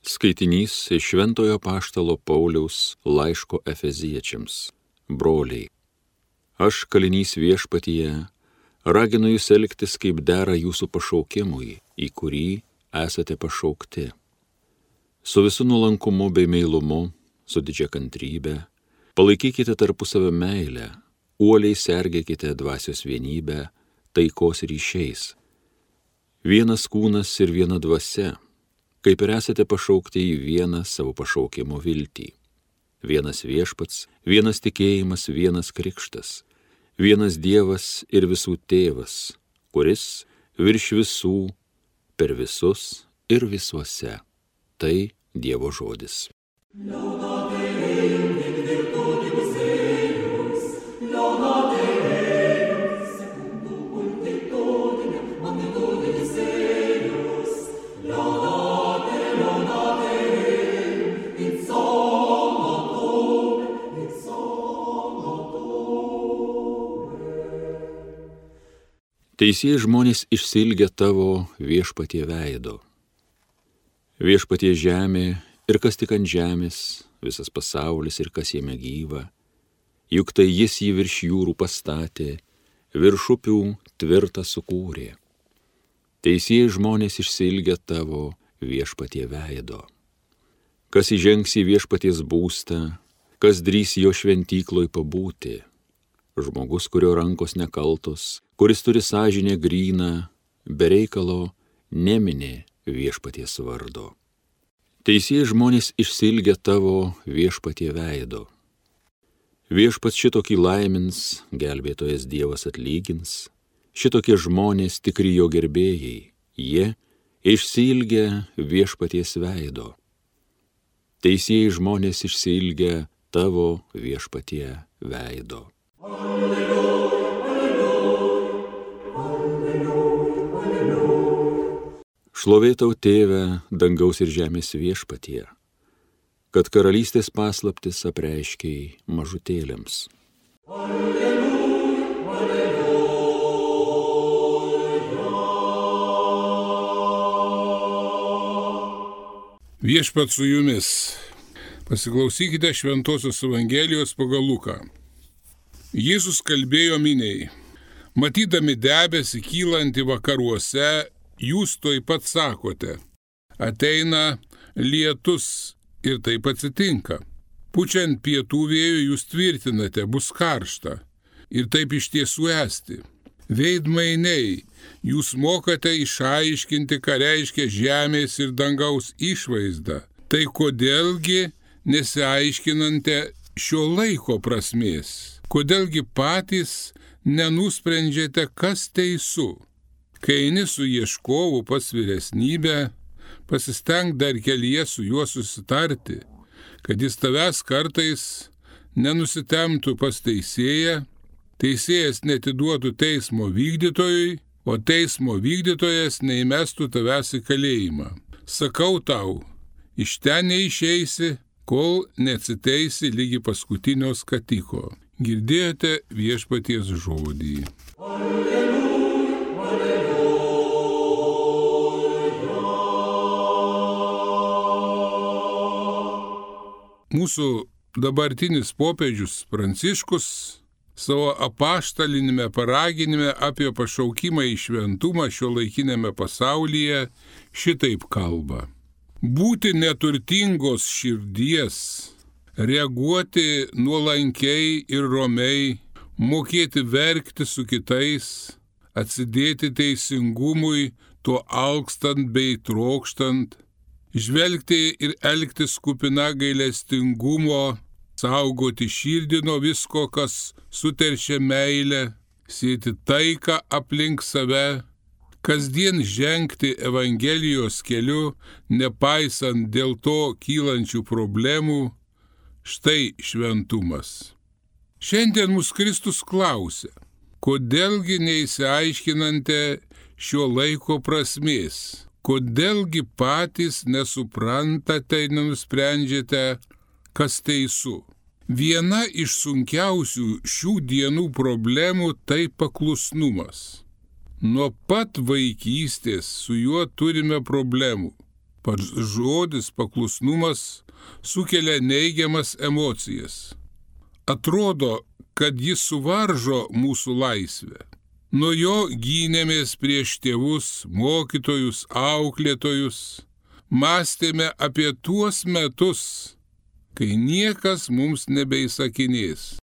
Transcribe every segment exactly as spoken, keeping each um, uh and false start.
Skaitinys iš Šventojo apaštalo Pauliaus laiško Efeziečiams. Broliai, aš kalinys viešpatyje, raginu jūs elgtis kaip dera jūsų pašaukimui, į kurį esate pašaukti. Su visu nuolankumu bei meilumu, su didžia kantrybe, palaikykite tarpusavio meilę, uoliai sergėkite dvasios vienybę, taikos ryšiais. Vienas kūnas ir viena dvasia, kaip ir esate pašaukti į vieną savo pašaukimo viltį. Vienas viešpats, vienas tikėjimas, vienas krikštas, vienas Dievas ir visų tėvas, kuris virš visų, per visus ir visuose. Tai Dievo žodis. Teisieji žmonės išsiilgia tavo viešpatie veido. Viešpatie žemė ir kas tik ant žemės, visas pasaulis ir kas jame gyva, juk tai jis jį virš jūrų pastatė, virš upių tvirtą sukūrė. Teisieji žmonės išsiilgia tavo viešpatie veido. Kas įžengs į viešpaties būstą, kas drįs jo šventykloj pabūti, žmogus, kurio rankos nekaltos, kuris turi sąžinę gryną, be reikalo neminė viešpaties vardo. Teisieji žmonės išsiilgia tavo viešpatie veido. Viešpats šitokį laimins, gelbėtojas Dievas atlygins, šitokie žmonės tikri jo gerbėjai, jie išsiilgia viešpaties veido. Teisieji žmonės išsiilgia tavo viešpatie veido. Šlovė tau, Tėve, dangaus ir žemės viešpatie, kad karalystės paslaptis apreiškei mažutėliams. Alleluja, alleluja. Viešpat su jumis. Pasiklausykite Šventosios Evangelijos pagal Luką. Jėzus kalbėjo miniai: matydami debesį kylantį vakaruose, jūs tuoj pat sakote, ateina lietus, ir taip atsitinka. Pučiant pietų vėjų jūs tvirtinate, bus karšta, ir taip iš tiesų esti. Veidmainiai, jūs mokate išaiškinti, ką reiškia žemės ir dangaus išvaizda. Tai kodėlgi nesiaiškinate šio laiko prasmės? Kodėlgi patys nenusprendžiate, kas teisu? Kai eini su ieškovu pas vyresnybę, pasistenk dar kelyje su juo susitarti, kad jis tavęs kartais nenusitemtų pas teisėją, teisėjas netiduotų teismo vykdytojui, o teismo vykdytojas neįmestų tavęs į kalėjimą. Sakau tau, iš ten neišeisi, kol neatsiteisi lygi paskutinio skatiko. Girdėjote viešpaties žodį. Alleluja, alleluja. Mūsų dabartinis popiežius Pranciškus savo apaštalinėme paraginime apie pašaukimą į šventumą šiuolaikiniame pasaulyje šitaip kalba. Būti neturtingos širdies, reaguoti nuolankiai ir romiai, mokėti verkti su kitais, atsidėti teisingumui, tuo alkstant bei trokštant, žvelgti ir elgtis kupina gailestingumo, saugoti širdį nuo visko, kas suteršia meilę, sėti taiką aplink save, kasdien žengti Evangelijos keliu, nepaisant dėl to kylančių problemų. Štai šventumas. Šiandien mūsų Kristus klausia, kodėlgi neįsiaiškinate šio laiko prasmės, kodėlgi patys nesuprantate ir nenusprendžiate, kas teisu. Viena iš sunkiausių šių dienų problemų tai paklusnumas. Nuo pat vaikystės su juo turime problemų. Pats žodis paklusnumas sukelia neigiamas emocijas. Atrodo, kad jis suvaržo mūsų laisvę. Nuo jo gynėmės prieš tėvus, mokytojus, auklėtojus. Mąstėme apie tuos metus, kai niekas mums nebeįsakinės.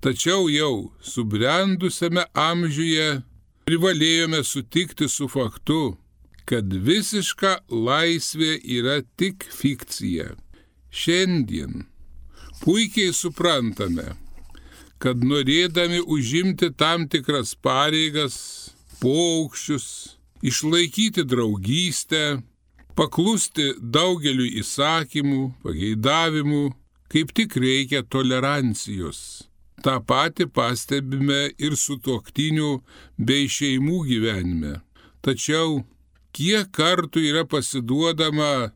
Tačiau jau subrendusiame amžiuje privalėjome sutikti su faktu, kad visiška laisvė yra tik fikcija. Šiandien puikiai suprantame, kad norėdami užimti tam tikras pareigas, paukščius, išlaikyti draugystę, paklusti daugeliu įsakymų, pageidavimų, kaip tik reikia tolerancijos. Ta pati pastebime ir sutuoktinių bei šeimų gyvenime. Tačiau kiek kartų yra pasiduodama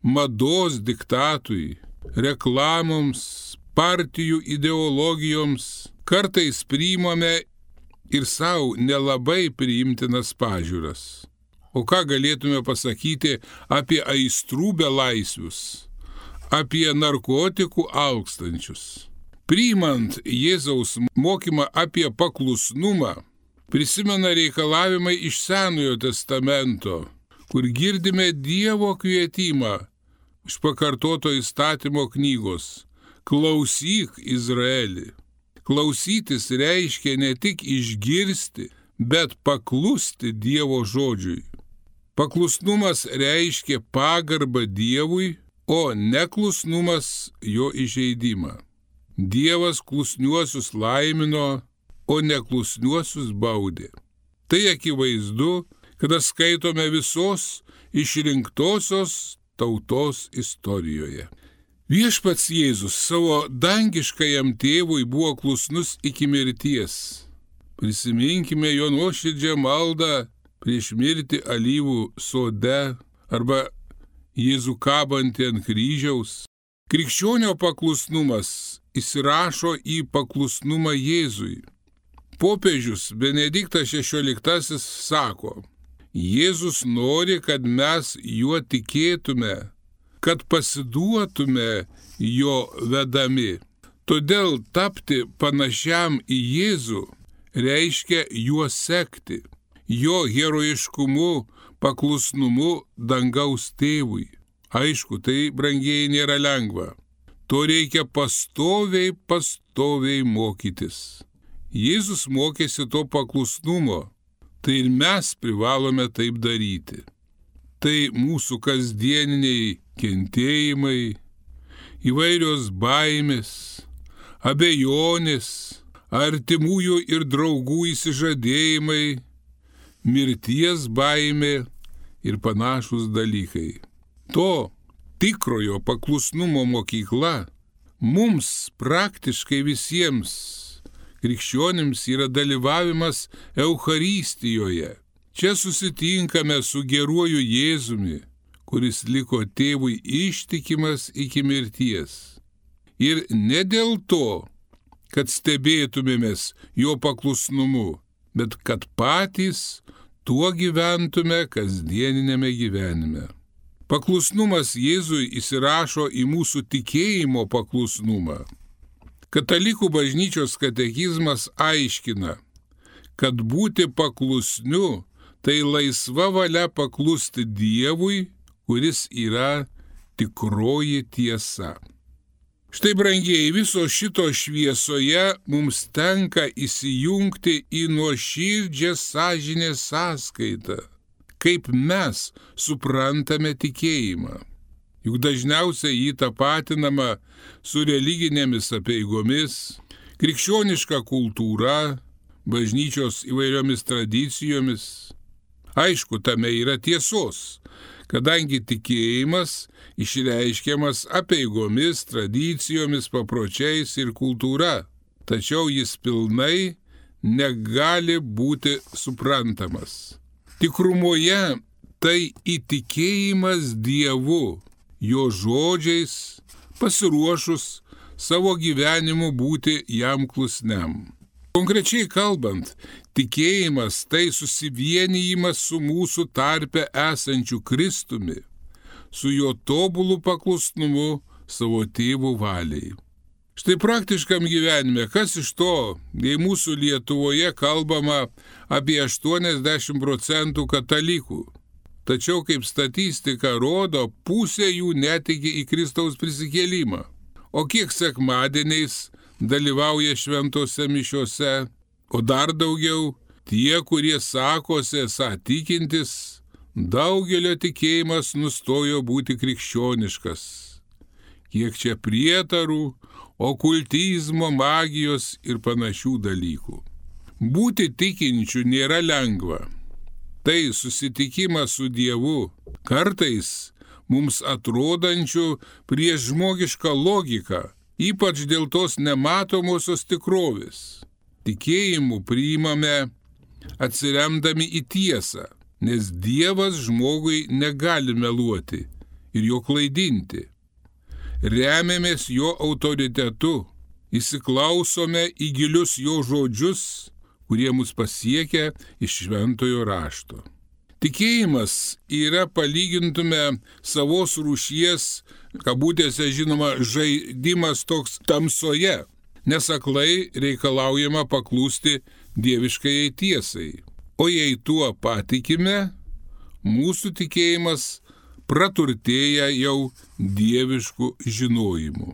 mados diktatui, reklamoms, partijų ideologijoms, kartais priimame ir savo nelabai priimtinas pažiūras. O ką galėtume pasakyti apie aistrų belaisvius, apie narkotikų alkstančius? Priimant Jėzaus mokymą apie paklusnumą, prisimena reikalavimai iš Senojo testamento, kur girdime Dievo kvietimą iš pakartoto įstatymo knygos: klausyk, Izraeli. Klausytis reiškia ne tik išgirsti, bet paklusti Dievo žodžiui. Paklusnumas reiškia pagarbą Dievui, o neklusnumas jo įžeidimą. Dievas klusniuosius laimino, o neklusniuosius baudė. Tai akivaizdu, kada skaitome visos išrinktosios tautos istorijoje. Viešpats Jėzus savo dangiškajam tėvui buvo klusnus iki mirties. Prisiminkime jo nuoširdžią maldą prieš mirtį alyvų sode arba Jėzų kabantį ant kryžiaus. Krikščionio paklusnumas įsirašo į paklusnumą Jėzui. Popiežius Benediktas šešioliktasis sako: Jėzus nori, kad mes juo tikėtume, kad pasiduotume jo vedami. Todėl tapti panašiam į Jėzų reiškia juo sekti, jo herojiškumu, paklusnumu dangaus tėvui. Aišku, tai, brangieji, nėra lengva. To reikia pastoviai, pastoviai mokytis. Jėzus mokėsi to paklusnumo, tai ir mes privalome taip daryti. Tai mūsų kasdieniniai kentėjimai, įvairios baimės, abejonės, artimųjų ir draugų įsižadėjimai, mirties baimė ir panašūs dalykai. To tikrojo paklusnumo mokykla mums praktiškai visiems krikščionims yra dalyvavimas Eucharistijoje. Čia susitinkame su geruoju Jėzumi, kuris liko tėvui ištikimas iki mirties. Ir ne dėl to, kad stebėtumėmės jo paklusnumu, bet kad patys tuo gyventume kasdieninėme gyvenime. Paklusnumas Jėzui įsirašo į mūsų tikėjimo paklusnumą. Katalikų bažnyčios katekizmas aiškina, kad būti paklusniu tai laisva valia paklusti Dievui, kuris yra tikroji tiesa. Štai, brangieji, viso šito šviesoje mums tenka įsijungti į nuoširdžią sąžinės sąskaitą, kaip mes suprantame tikėjimą. Juk dažniausiai jį tapatinama su religinėmis apeigomis, krikščioniška kultūra, bažnyčios įvairiomis tradicijomis. Aišku, tame yra tiesos, kadangi tikėjimas išreiškiamas apeigomis, tradicijomis, papročiais ir kultūra, tačiau jis pilnai negali būti suprantamas. Tikrumoje tai įtikėjimas Dievu, jo žodžiais, pasiruošus savo gyvenimu būti jam klusniam. Konkrečiai kalbant, tikėjimas tai susivienijimas su mūsų tarpe esančiu Kristumi, su jo tobulu paklusnumu savo tėvo valiai. Štai praktiškam gyvenime, kas iš to, jei mūsų Lietuvoje kalbama apie aštuoniasdešimt procentų katalikų. Tačiau, kaip statistika rodo, pusė jų netiki į Kristaus prisikėlimą. O kiek sekmadieniais dalyvauja šventose mišiose, o dar daugiau tie, kurie sakosi esą tikintis, daugelio tikėjimas nustojo būti krikščioniškas. Kiek čia prietarų, okultizmo, magijos ir panašių dalykų. Būti tikinčių nėra lengva. Tai susitikimas su Dievu, kartais mums atrodančių prieš žmogišką logiką, ypač dėl tos nematomosios tikrovės. Tikėjimu priimame atsiremdami į tiesą, nes Dievas žmogui negali meluoti ir jo klaidinti. Remiamės jo autoritetu, įsiklausome į gilius jo žodžius, kurie mus pasiekia iš šventojo rašto. Tikėjimas yra, palygintume, savos rūšies, kabutėse žinoma, žaidimas toks tamsoje, nes aklai reikalaujama paklusti dieviškajai tiesai. O jei tuo patikime, mūsų tikėjimas praturtėja jau dieviškų žinojimų.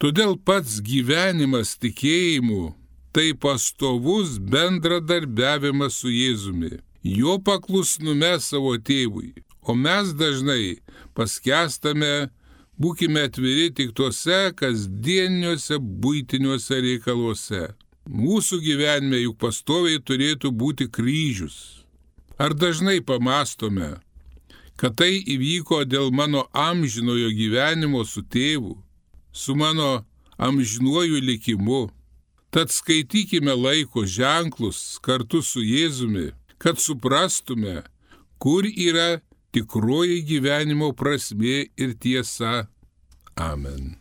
Todėl pats gyvenimas tikėjimu tai pastovus bendradarbiavimas su Jėzumi, jo paklusnume savo tėvui, o mes dažnai paskęstame, būkime atviri tik tuose kasdieniuose buitiniuose reikaluose. Mūsų gyvenime juk pastoviai turėtų būti kryžius. Ar dažnai pamastome, kad tai įvyko dėl mano amžinojo gyvenimo su tėvu, su mano amžinuoju likimu. Tad skaitykime laiko ženklus kartu su Jėzumi, kad suprastume, kur yra tikroji gyvenimo prasmė ir tiesa. Amen.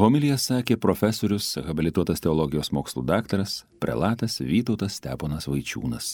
Homiliją sakė profesorius, habilituotas teologijos mokslų daktaras, prelatas Vytautas Steponas Vaičiūnas.